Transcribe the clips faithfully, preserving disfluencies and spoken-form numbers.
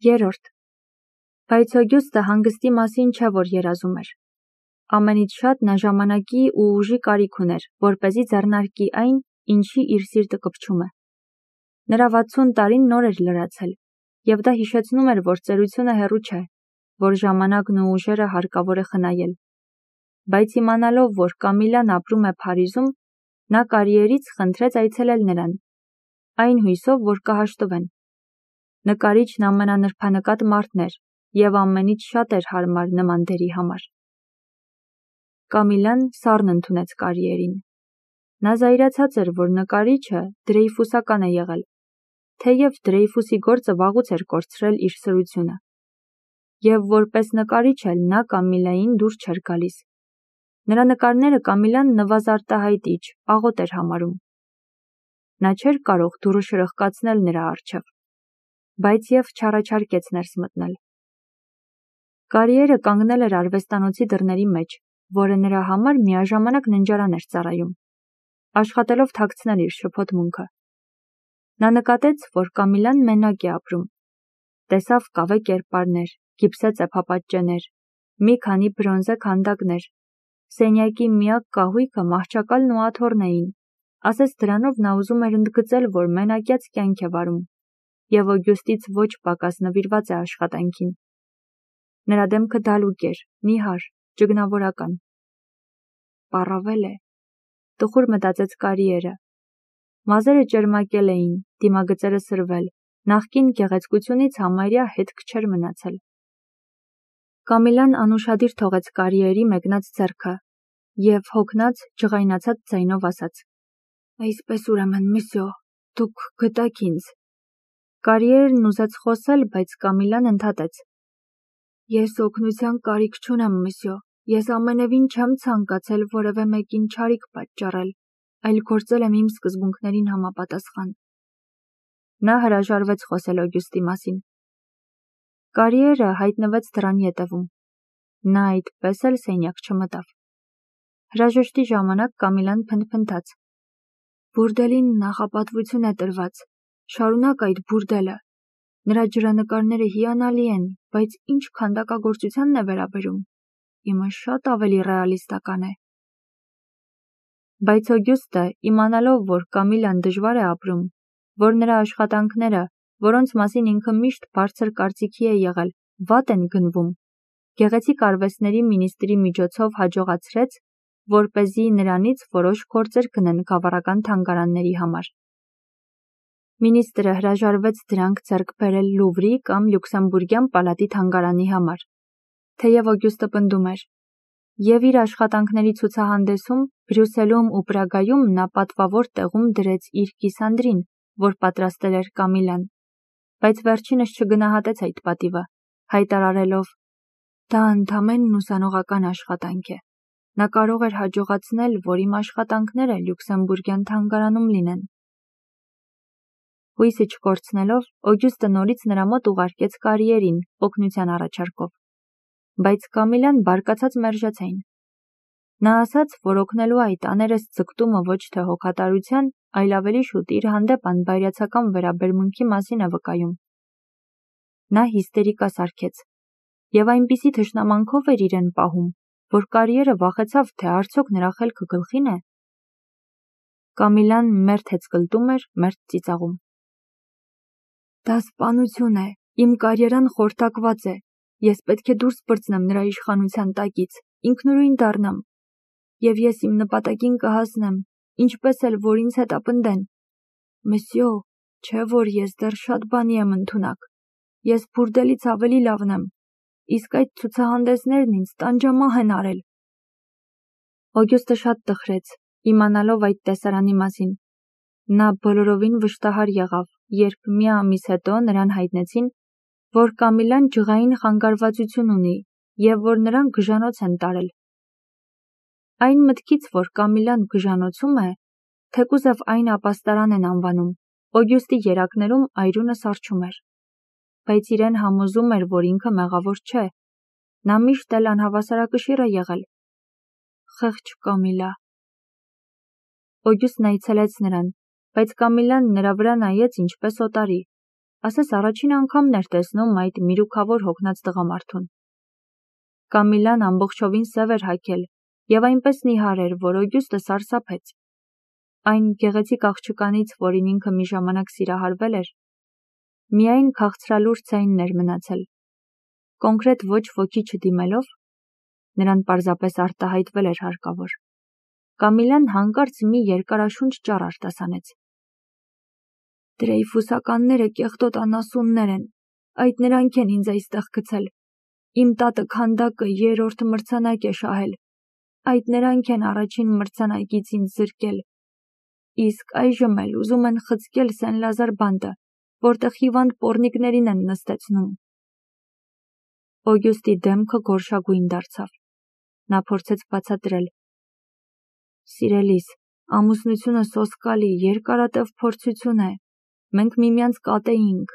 Երրորդ. Բայց Օգյուստը հանգստի մասին չէ, որ երազում էր։ Ամենից շատ նա ժամանակի ու ուժի կարիք ուներ, որպեսզի ձեռնարկի այն, ինչի իր սիրտը կպչում է։ Նրա վաթսուն տարին նոր էր լրացել, և դա հիշեցնում էր, որ ծերությունը հեռու չէ, որ ժամանակն ու ուժերը հարկավոր է խնայել։ Բայց իմանալով, որ Կամիլան ապրում է Փարիզում, նա կարիերից խնդրեց այցելել նրան, այն հույսով, որ կհաշտվեն։ Նկարիչն ամենանրբանկատ մարդն էր և ամենից շատ էր հարմար նման դերի համար։ Կամիլան սառն ընդունեց կարիերին։ Նա զայրացած էր, որ նկարիչը Դրեյֆուսական է եղել, թեև Դրեյֆուսի գործը վաղուց էր կորցրել իր սրությունը։ Եվ որպես նկարիչ էլ նա Կամիլային դուր չէր գալիս։ Նրա նկարները Կամիլան նվազարտահայտիչ, աղոտ էր համարում։ Նա չէր կարող դուռը շրխկացնել նրա առջև, բայց և չառաջարկեց ներս մտնել։ Կարիերը կանգնել էր արվեստանոցի դռների մեջ, որը նրա համար միաժամանակ ննջարան էր ծառայում, աշխատելով թաքցնել իր շփոթմունքը։ Նա նկատեց, որ Կամիլան մենակ է ապրում։ Տեսավ կավե կերպարներ, գիպսե ծեփապատճեններ, մի քանի բրոնզե քանդակներ։ Սենյակի միակ կահույքը մահճակալն ու աթոռն էին, ասես դրանով նա ուզում էր ընդգծել, որ մենակյաց կյանք է վարում, և Օգյուստից ոչ պակաս նվիրված է աշխատանքին։ Նրա դեմքը դալուկ էր, նիհար, ճգնավորական։ Պառավել է, տխուր մտածեց կարիերը։ Մազերը ճերմակել էին, դիմագծերը սրվել, նախկին գեղեցկությունից համարյա հետք չէր մնացել։ Կամիլան անուշադիր թողեց կարիերի մեկնած ձեռքը և հոգնած, ջղայնացած ձայնով ասաց. «Այսպես ուրեմն, մսյո, դուք գտաք ինձ»։ Կարիերն ուզեց խոսել, բայց Կամիլան ընդհատեց. «Ես օգնության կարիք չունեմ, մսյո, ես ամենևին չեմ ցանկացել որևէ մեկին չարիք պատճառել, այլ գործել եմ իմ սկզբունքներին համապատասխան»։ Նա հրաժարվեց խոսել Օգյուստի մասին։ Կարիերը հայտնվեց դռան ետևում։ Նա այդպես էլ սենյակ չմտավ։ Հրաժեշտի ժամանակ Կամիլան փնթփնթաց. «Բուրդելին նախապատվություն է տրված, շարունակ այդ բուրդելը։ Նրա ջրանկարները հիանալի են, բայց ինչ քանդակագործությանն է վերաբերում, իմը շատ ավելի ռեալիստական է»։ Բայց Օգյուստը, իմանալով, որ Կամիլան դժվար է ապրում, որ նրա աշխատանքները, որոնց մասին ինքը միշտ բարձր կարծիքի է եղել, վատ են գնվում, գեղեցիկ արվեստների մինիստրի միջոցով հաջողացրեց, որպեսզի նրանից որոշ գործեր գնեն գավառական թանգարանների համար։ Մինիստրը հրաժարվեց դրանք ձեռք բերել Լուվրի կամ Լյուքսեմբուրգյան պալատի թանգարանի համար, թեև Օգյուստը պնդում էր, և իր աշխատանքների ցուցահանդեսում Բրյուսելում ու Պրագայում նա պատվավոր տեղում դրեց իր կիսանդրին, որ պատրաստել էր Կամիլան, բայց վերջինս չգնահատեց այդ պատիվը, հայտարարելով. «Դա ընդամենն ուսանողական աշխատանք է։ Նա կարող էր հաջողացնել, որ իմ աշխատանքները Լյուքսեմբուրգյան թանգարանում լինեն»։ Հույսը չկորցնելով, Օգյուստը նորից նրա մոտ ուղարկեց կարիերին, օգնության առաջարկով։ Բայց Կամիլան բարկացած մերժեց այն։ Նա ասաց, որ օգնելու այդ աներես ձգտումը ոչ թե հոգատարության, այլ ավելի շուտ իր հանդեպ անբայրացական վերաբերմունքի մասին է վկայում։ Նա հիստերիկա սարքեց, և այնպիսի թշնամանքով էր իրեն պահում, որ կարիերը վախեցավ, թե արդյոք նրա խելքը գլխին է։ Կամիլան մերթ հեծկլտում էր, մերթ ծիծաղում։ «Դա սպանություն է, իմ կարիերան խորտակված է, ես պետք է դուրս պրծնեմ նրա իշխանության տակից, ինքնուրույն դառնամ, և ես իմ նպատակին կհասնեմ, ինչպես էլ որ ինձ հետապնդեն։ Մսյո, չէ որ ես դեռ շատ բանի եմ ընդունակ, ես բուրդելից ավելի լավն եմ, իսկ այդ ցուցահանդեսներն ինձ տանջամահ են արել»։ Օգյուստը շատ տխրեց, իմանալով այդ տեսարանի մասին։ Նա բոլորովին վշտահար եղավ, երբ մի ամիս հետո նրան հայտնեցին, որ Կամիլան ջղային խանգարվածություն ունի և որ նրան գժանոց են տարել։ Այն մտքից, որ Կամիլան գժանոցում է, թեկուզև այն ապաստարան են անվանում, Օգյուստի երակներում այրունը սառչում էր։ Բայց իրեն համոզում էր, որ ինքը մեղավոր չէ։ Նա միշտ էլ անհավասարակշիռ է եղել։ Խեղճ Կամիլա։ Օգյուստն այցելեց նրան, բայց Կամիլան նրա վրա նայեց ինչպես օտարի։ ասես առաջին անգամն էր տեսնում այդ միրուքավոր հոգնած տղամարդուն։ Կամիլան ամբողջովին սև էր հագել և այնպես նիհար էր, որ Օգյուստը սարսափեց։ Այն գեղեցիկ աղջկանից, որին ինքը մի ժամանակ սիրահարվել էր, միայն քաղցրալուր ցայնն էր մնացել։ Կոնկրետ ոչ ոքի չդիմելով, նրան պարզապես արտահայտվել էր հարկավոր։ Կամիլան հանկարծ մի երկարաշունչ ճառ արտասանեց։ Դրեյֆուսականները կեղտոտ անասուններ են, այդ նրանք են ինձ այստեղ գցել։ Իմ տատը քանդակը երրորդ մրցանակ է շահել, այդ նրանք են առաջին մրցանակից ինձ զրկել։ Իսկ այժմ էլ ուզում են խցկել Սեն-Լազար բանտը, որտեղ հիվանդ պոռնիկներին են նստեցնում։ Օգյուստի դեմքը գորշագույն դարձավ։ Նա փորձեց բացատրել. Սիրելիս, ամուսնությունը սոսկալի, երկարատև փորձություն է։ Մենք միմյանց կատեինք։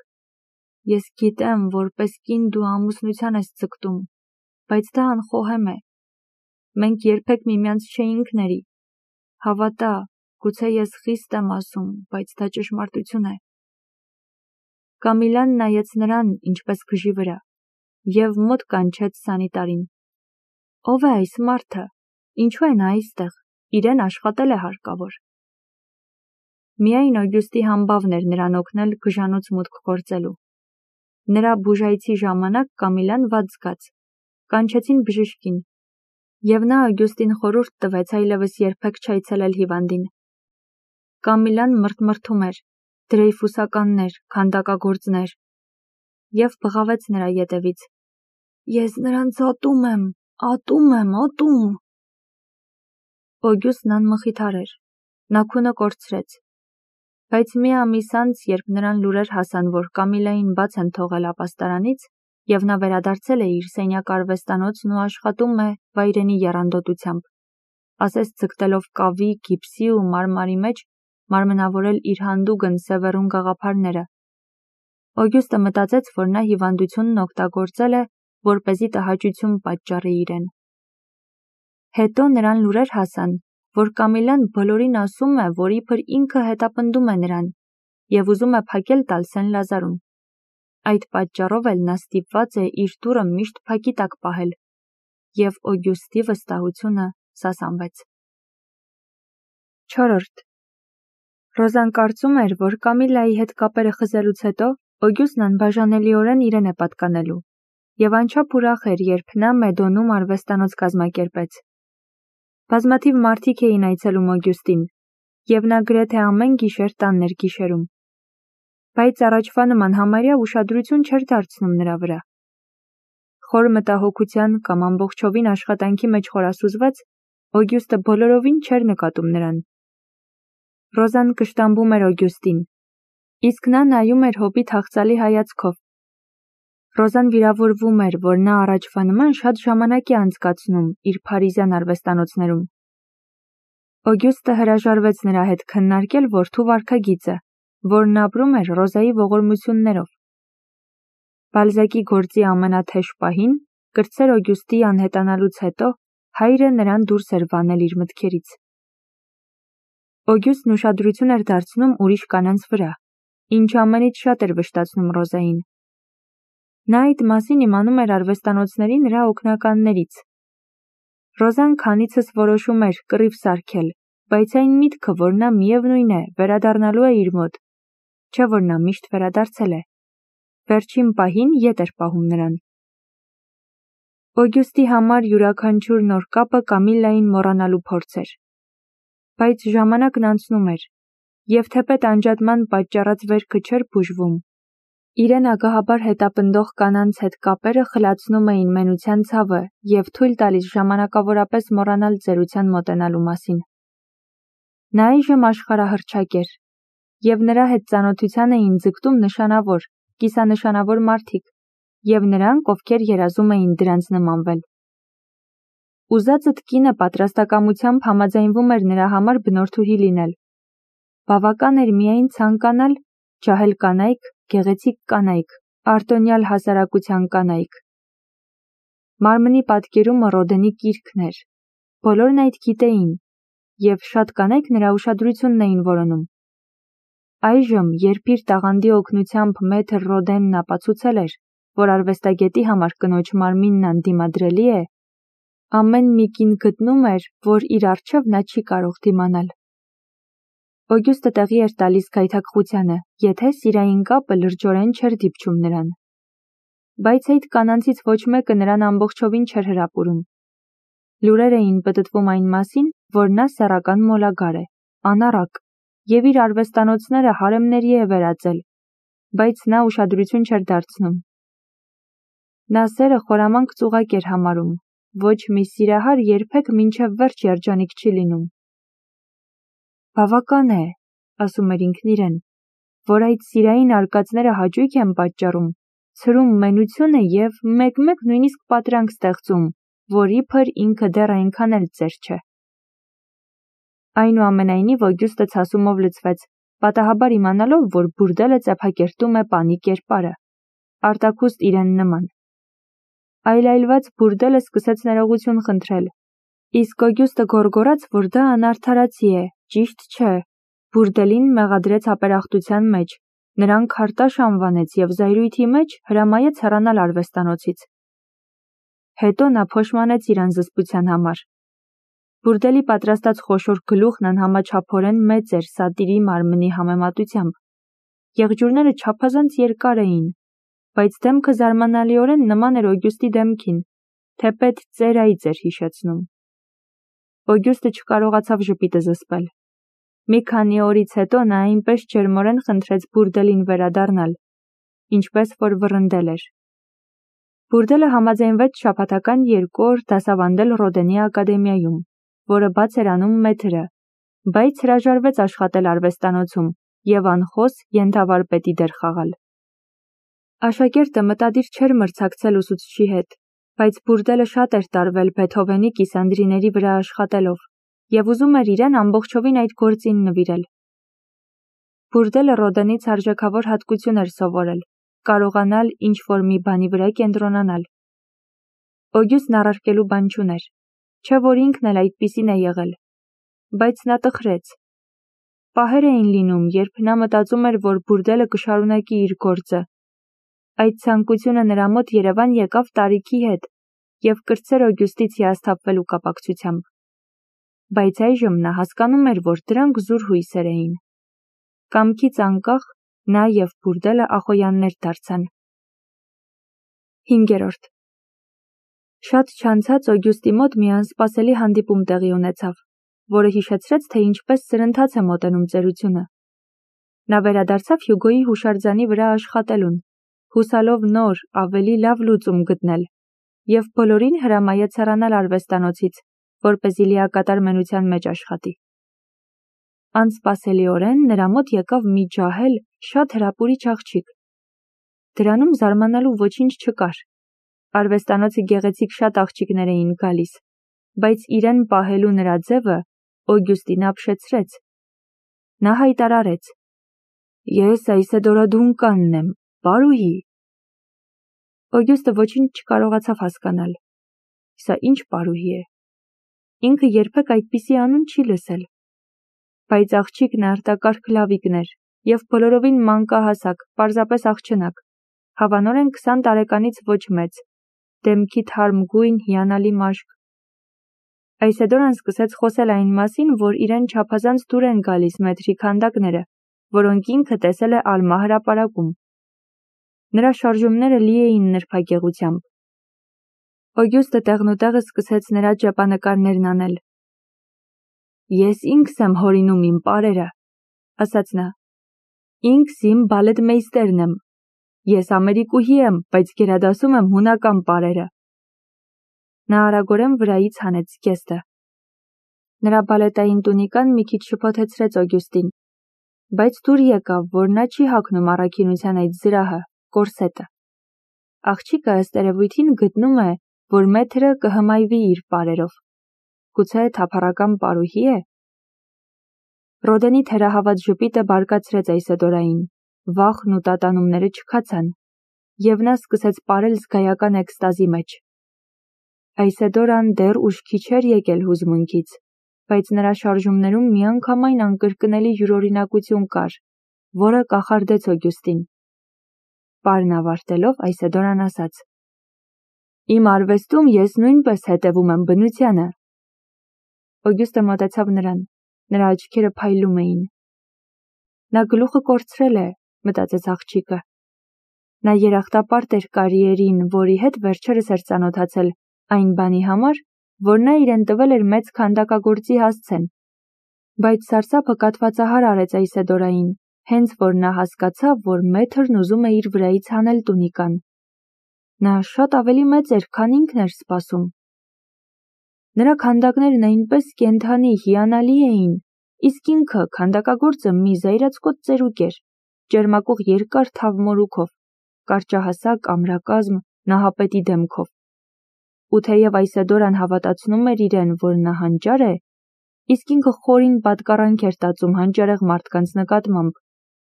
Ես գիտեմ, որպես կին դու ամուսնության ես ձգտում, բայց դա անխոհեմ է։ Մենք երբեք միմյանց չէինք ների։ Հավատա, գուցե ես խիստ եմ ասում, բայց դա ճշմարտություն է։ Կամիլան նայեց նրան, ինչպես գժի վրա, և մոտ կանչեց սանիտարին։ Ո՞վ է այս մարդը, ինչու է նա այստեղ, իրեն աշխատել է հարկավոր։ Միայն Օգյուստի համբավն էր նրան օգնել գժանոց մուտք գործելու։ Նրա բուժայցի ժամանակ Կամիլան վատ զգաց, կանչեցին բժշկին, և նա Օգյուստին խորհուրդ տվեց այլևս երբեք չայցելել հիվանդին։ Կամիլան մրթմրթում էր, դրեյֆուսականներ, քանդակագործներ, և բղավեց նրա ետևից. Ես նրանց ատում եմ, ատում եմ, ատում։ Օգյուստն անմխիթար էր, նա քունը կորցրեց։ Բայց մի ամիս անց, երբ նրան լուրեր հասան, որ Կամիլային բաց են թողել ապաստարանից, և նա վերադարձել է իր սենյակ արվեստանոցն ու աշխատում է վայրենի եռանդոտությամբ, ասես ձգտելով կավի, գիպսի ու մարմարի մեջ մարմնավորել իր հանդուգն սևեռուն գաղափարները, Օգյուստը մտածեց, որ նա հիվանդությունն օգտագործել է, որպեսզի տհաճություն պատճառի իրեն։ Հետո նրան լուրեր հասան, որ Կամիլան բոլորին ասում է, որ իբր ինքը հետապնդում է նրան և ուզում է փակել տալ Սեն-Լազարում։ Այդ պատճառով էլ նա ստիպված է իր դուռը միշտ փակի տակ պահել, և Օգյուստի վստահությունը սասանվեց։ Չորրորդ Ռոզան կարծում էր, որ Կամիլայի հետ կապերը խզելուց հետո Օգյուստն անբաժանելիորեն իրեն է պատկանելու, և անչափ ուրախ էր, երբ նա Մեդոնում արվեստանոց կազմակերպեց։ Բազմաթիվ մարդիկ էին այցելում Օգյուստին, և նա գրեթե ամեն գիշեր տանն էր գիշերում։ Բայց առաջվա նման համարյա ուշադրություն չէր դարձնում նրա վրա։ Խոր մտահոգության կամ ամբողջովին աշխատանքի մեջ խորասուզված, Օգյուստը բոլորովին չէր նկատում նրան։ Ռոզան կշտամբում էր Օգյուստին, իսկ նա նայում էր հոբի թախծալի հայացքով։ Ռոզան վիրավորվում էր, որ նա առաջվա նման շատ ժամանակ է անցկացնում իր փարիզյան արվեստանոցներում։ Օգյուստը հրաժարվեց նրա հետ քննարկել որդու վարքագիծը, որն ապրում էր Ռոզայի ողորմություններով։ Բալզակի գործի ամենաթեժ պահին, կրտսեր Օգյուստի անհետանալուց հետո, հայրը նրան դուրս էր վանել իր մտքերից։ Օգյուստն ուշադրություն էր դարձնում ուրիշ կանանց վրա, ինչը ամենից շատ էր վշտացնում Ռոզային։ Նա այդ մասին իմանում էր արվեստանոցների նրա օգնականներից։ Ռոզան քանիցս որոշում էր կռիվ սարքել, բայց այն միտքը, որ նա միևնույն է, վերադառնալու է իր մոտ, չէ որ նա միշտ վերադարձել է, վերջին պահին ետ էր պահում նրան։ Օգյուստի համար յուրաքանչյուր նոր կապը Կամիլային մոռանալու փորձ էր։ Բայց ժամանակն անցնում էր, և թեպետ անջատման պատճառած վերքը չէր բուժվում, իրեն ագահաբար հետապնդող կանանց հետ կապերը խլացնում էին մենության ցավը և թույլ տալիս ժամանակավորապես մոռանալ ծերության մոտենալու մասին։ Նա այժմ աշխարհահռչակ էր, և նրա հետ ծանոթության էին ձգտում նշանավոր, կիսանշանավոր մարդիկ, և նրանք, ովքեր երազում էին դրանց նմանվել։ Ուզածդ կինը պատրաստակամությամբ համաձայնվում էր նրա համար բնորդուհի լինել։ Բավական էր միայն ցանկանալ, ջահել կանայք, գեղեցիկ կանայք, արտոնյալ հասարակության կանայք։ Մարմնի պատկերումը Ռոդենի կիրքն էր։ Բոլորն այդ գիտեին, և շատ կանայք նրա ուշադրությունն էին որոնում։ Այժմ, երբ իր տաղանդի օգնությամբ մեթր Ռոդենն ապացուցել էր, որ արվեստագետի համար կնոջ մարմինն անդիմադրելի է, ամեն մի կին գտնում էր, որ իր առջև նա չի կարող դիմանալ։ Օգյուստը տեղի էր տալիս գայթակղությանը, եթե սիրային կապը լրջորեն չէր դիպչում նրան։ Բայց այդ կանանցից ոչ մեկը նրան ամբողջովին չէր հրապուրում։ Լուրեր էին պտտվում այն մասին, որ նա սեռական մոլագար է, անառակ, և իր արվեստանոցները հարեմների է վերածել, բայց նա ուշադրություն չէր դարձնում։ Նա սերը խորամանկ ծուղակ էր համարում, ոչ մի սիրահար երբեք մինչև վերջ երջանիկ չի լինում։ Բավական է, ասում էր ինքն իրեն, որ այդ սիրային արկածները հաճույք են պատճառում, ցրում մենությունը և մեկ-մեկ նույնիսկ պատրանք ստեղծում, որ իբր ինքը դեռ այնքան էլ ծեր չէ։ Այնուամենայնիվ Օգյուստը ցասումով լցվեց, պատահաբար իմանալով, որ բուրդելը ծեփակերտում է պանի կերպարը, արտաքուստ իրեն նման։ Այլայլված բուրդելը սկսեց ներողություն խնդրել, իսկ Օգյուստը գոռգոռաց, որ դա անարդարացի է, ճիշտ չէ, բուրդելին մեղադրեց ապերախտության մեջ, նրան քարտաշ անվանեց և զայրույթի մեջ հրամայեց հեռանալ արվեստանոցից։ Հետո նա փոշմանեց իր անզսպության համար։ Բուրդելի պատրաստած խոշոր գլուխն անհամաչափորեն մեծ էր սատիրի մարմնի համեմատությամբ։ Եղջյուրները չափազանց երկար էին, բայց դեմքը զարմանալիորեն նման էր Օգյուստի դեմքին, թեպետ ծերայից էր հիշեցնում։ Օգյուստը չկարողացավ ժպիտը զսպել։ Մի քանի օրից հետո նա այնպես ջերմորեն խնդրեց բուրդելին վերադառնալ, ինչպես որ վռնդել էր։ Բուրդելը համաձայնվեց շաբաթական երկու օր դասավանդել Ռոդենի ակադեմիայում, որը բաց էր անում մեթրը, բայց հրաժարվեց աշխատել արվեստանոցում և անխոս ենթավարպետի դեր խաղալ։ Աշակերտը մտադիր չէր մրցակցել ուսուցչի հետ, բայց բուրդելը շատ էր տարվել Բեթհովենի կիսանդրիների վրա աշխատելով և ուզում էր իրեն ամբողջովին այդ գործին նվիրել։ Բուրդելը Ռոդենից արժեքավոր հատկություն էր սովորել, կարողանալ ինչ-որ մի բանի վրա կենտրոնանալ։ Օգյուստն առարկելու բան չուներ, չէ որ ինքն էլ այդպիսին է եղել, բայց նա տխրեց։ Պահեր էին լինում, երբ նա մտածում էր, որ բուրդելը կշարունակի իր գործը։ Այդ ցանկությունը նրա մոտ Երևան եկավ տարիքի հետ և կրտսեր Օգյուստից հիասթափվելու կապակցությամբ։ Բայց այժմ նա հասկանում էր, որ դրանք զուր հույսեր էին։ Կամքից անկախ նա և բուրդելը ախոյաններ դարձան։ Հինգերորդ Շատ չանցած Օգյուստի մոտ մի անսպասելի հանդիպում տեղի ունեցավ, որը հիշեցրեց, թե ինչպես սրընթաց է մոտենում ծերությունը։ Նա վերադարձավ Հյուգոյի հուշարձանի վրա աշխատելուն, հուսալով նոր, ավելի լավ լուծում գտնել, և բոլորին հրամայեց հեռանալ արվեստանոցից, որպեսզի լիակատար մենության մեջ աշխատի։ Անսպասելիորեն նրա մոտ եկավ մի ջահել, շատ հրապուրիչ աղջիկ։ Դրանում զարմանալու ոչինչ չկար։ Արվեստանոցը գեղեցիկ շատ աղջիկներ էին գալիս, բայց իրեն պահելու նրա ձևը Օգյուստին ապշեցրեց։ Նա հայտարարեց. «Ես Այսեդորա Դունկանն եմ, պարուհի»։ Օգյուստը ոչինչ չկարողացավ հասկանալ։ Սա ինչ պարուհի է։ Ինքը երբեք այդպիսի անուն չի լսել։ Բայց աղջիկն արտակարգ լավիկն էր և բոլորովին մանկահասակ, պարզապես աղջնակ, հավանորեն քսան տարեկանից ոչ մեծ, դեմքի թարմ գույն, հիանալի մաշկ։ Այսեդորան սկսեց խոսել այն մասին, որ իրեն չափազանց դուր են գալիս մեթրի քանդակները, որոնք ինքը տեսել է Ալմա հրապարակում։ Նրա շարժումները լի էին նրբագեղությամբ։ Օգյուստը տեղնուտեղը սկսեց նրա ճեպանկարներն անել։ «Ես ինքս եմ հորինում իմ պարերը», ասաց նա։ «Ինքս իմ բալետմեյստերն եմ։ Ես ամերիկուհի եմ, բայց գերադասում եմ հունական պարերը»։ Նա արագորեն վրայից հանեց զգեստը։ Նրա բալետային տունիկան մի քիչ շփոթեցրեց Օգյուստին, բայց դուր եկավ, որ նա չի հագնում առաքինության այդ զրահը, կորսետը։ Աղջիկը ըստ երևույթին գտնում է, որ մեթրը կհմայվի իր պարերով։ Գուցե թափառական պարուհի է։ Ռոդենի թերահավատ ժպիտը բարկացրեց Այսեդորային, վախն ու տատանումները չքացան, և նա սկսեց պարել զգայական էքստազի մեջ։ Այսեդորան դեռ ուշքի չէր եկել հուզմունքից, բայց նրա շարժումներում միանգամայն անկրկնելի յուրօրինակություն կար, որը կախարդեց Օգյուստին։ Պարն ավարտելով Այսեդորան ասաց. «Իմ արվեստում ես նույնպես հետևում եմ բնությանը»։ Օգյուստը մոտեցավ նրան, նրա աչքերը փայլում էին։ Նա գլուխը կորցրել է, մտածեց աղջիկը։ Նա երախտապարտ էր կարիերին, որի հետ վերջերս էր ծանոթացել, այն բանի համար, որ նա իրեն տվել էր մեծ քանդակագործի հասցեն։ Բայց սարսափը կաթվածահար արեց Այսեդորային, հենց որ նա հասկացավ, որ մեթրն ուզում է իր վրայից հանել տունիկան։ Նա շատ ավելի մեծ էր, քան ինքն էր սպասում։ Նրա քանդակներն այնպես կենդանի, հիանալի էին, իսկ ինքը քանդակագործը մի զայրացկոտ ծերուկ էր, ճերմակող երկար թավ մորուքով, կարճահասակ, ամրակազմ, նահապետի դեմքով։ Ու թեև Այսեդորան հավատացնում էր իրեն, որ նա հանճար է, իսկ ինքը խորին պատկառանք էր տածում հանճարեղ մարդկանց նկատմամբ,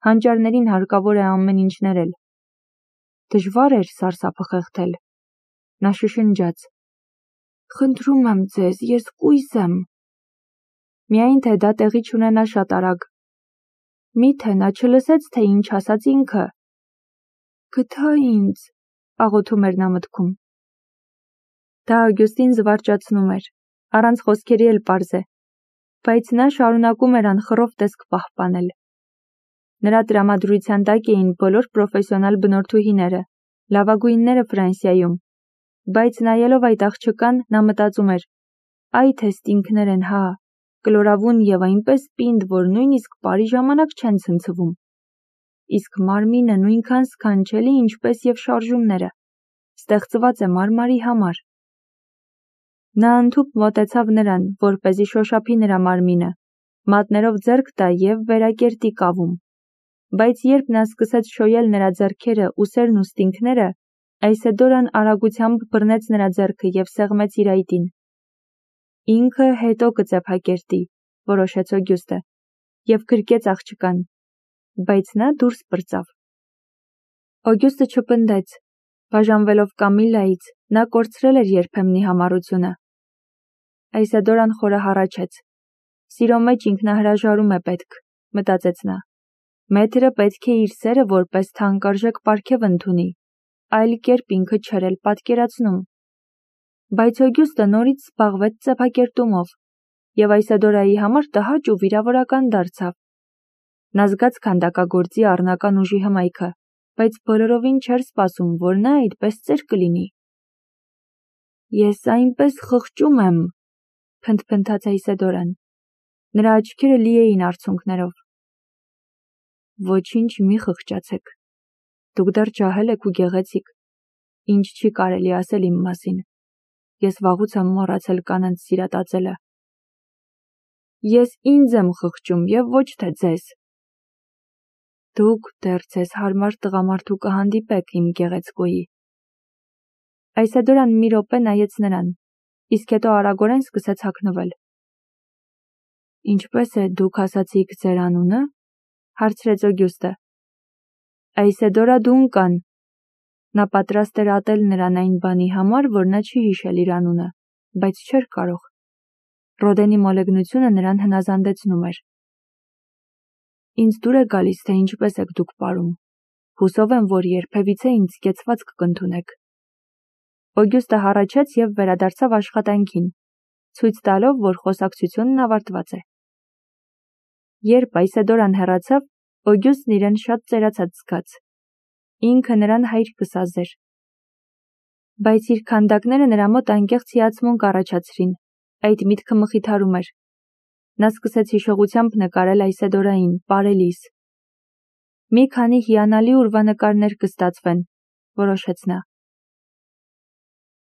հանճարներին հարկավոր է ամեն ինչ ներել։ Դժվար էր սարսափը խեղդել։ Նա շշնջաց. «Խնդրում եմ ձեզ, ես կույս եմ»։ Միայն թե դա տեղի չունենա շատ արագ։ Միթե նա չլսեց, թե ինչ ասաց ինքը։ «Գթա ինձ», աղոթում էր նա մտքում։ Դա Օգյուստին զվարճացնում էր, առանց խոսքերի էլ պարզ է, բայց նա շարունակում էր անխռով տեսք պահպանել։ Նրա տրամադրության տակ էին բոլոր պրոֆեսիոնալ բնորդուհիները, լավագույնները Ֆրանսիայում, բայց նայելով այդ աղջկան, նա մտածում էր. «Այ թե ստինքներ են, հա, կլորավուն եւ այնպես պինդ, որ նույնիսկ բարի ժամանակ չեն ցնցվում։ Իսկ մարմինը նույնքան սքանչելի, ինչպես եւ շարժումները, ստեղծված է մարմարի համար»։ Նա ընդհուպ մոտեցավ նրան, որպեսզի շոշափի նրա մարմինը, մատներով ձեռք տա եւ վերակերտի կավում։ Բայց երբ նա սկսեց շոյել նրա ձեռքերը, ուսերն ու ստինքները, Այսեդորան արագությամբ բռնեց նրա ձեռքը եւ սեղմեց իր այտին։ Ինքը հետո կծեփակերտի, որոշեց Օգյուստը, եւ գրկեց աղջկան, բայց նա դուրս պրծավ։ Օգյուստը չպնդեց, բաժանվելով Կամիլայից, նա կորցրել էր երբեմնի համառությունը։ Այսեդորան խորը հառաչեց։ Սիրո մեջ ինքնահրաժարում է պետք, մտածեց նա։ Մեթրը պետք է իր սերը որպես թանկարժեք պարգև ընդունի, այլ կերպ ինքը չէր էլ պատկերացնում։ Բայց Օգյուստը նորից զբաղվեց ծեփակերտումով, եւ Այսեդորայի համար տհաճ ու վիրավորական դարձավ։ Նա զգաց քանդակագործի առնական ուժի հմայքը, բայց բոլորովին չէր սպասում, որ նա այդպես ծեր կլինի։ «Ես այնպես խղճում եմ», փնթփնթաց Այսեդորան։ Նրա աչքերը լի էին արցունքներով։ «Ոչինչ մի խղճացեք։ Դուք դեռ ջահել եք ու գեղեցիկ, ինչ չի կարելի ասել իմ մասին։ Ես վաղուց եմ մոռացել կանանց սիրատածելը։ Ես ինձ եմ խղճում եւ ոչ թե ձեզ։ Դուք դեռ ձեզ հարմար տղամարդու կհանդիպեք, իմ գեղեցկուհի»։ Այսեդորան մի րոպե նայեց նրան, իսկ հետո արագորեն սկսեց հագնվել։ «Ինչպես է դուք ասացիք ձեր անունը», հարցրեց Օգյուստը։ Այսեդորա Դունկան։ Նա պատրաստ էր ատել նրան այն բանի համար, որ նա չի հիշել իր անունը, բայց չէր կարող։ Ռոդենի մոլեգնությունը նրան հնազանդեցնում էր։ «Ինձ դուր է գալիս, թե ինչպես եք դուք պարում։ Հուսով եմ, որ երբևիցե ինձ կեցվածք կընդունեք»։ Օգյուստը հառաչեց եւ վերադարձավ աշխատանքին, ցույց տալով, որ խոսակցությունն ավարտված է։ Երբ Այսեդորան հեռացավ, Օգյուստն իրեն շատ ծերացած զգաց։ Ինքը նրան հայր կսազեր։ Բայց իր քանդակները նրա մոտ անկեղծ հիացմունք առաջացրին, այդ միտքը մխիթարում էր։ Նա սկսեց հիշողությամբ նկարել Այսեդորային, պարելիս։ Մի քանի հիանալի ուրվանկարներ կստացվեն, որոշեց նա։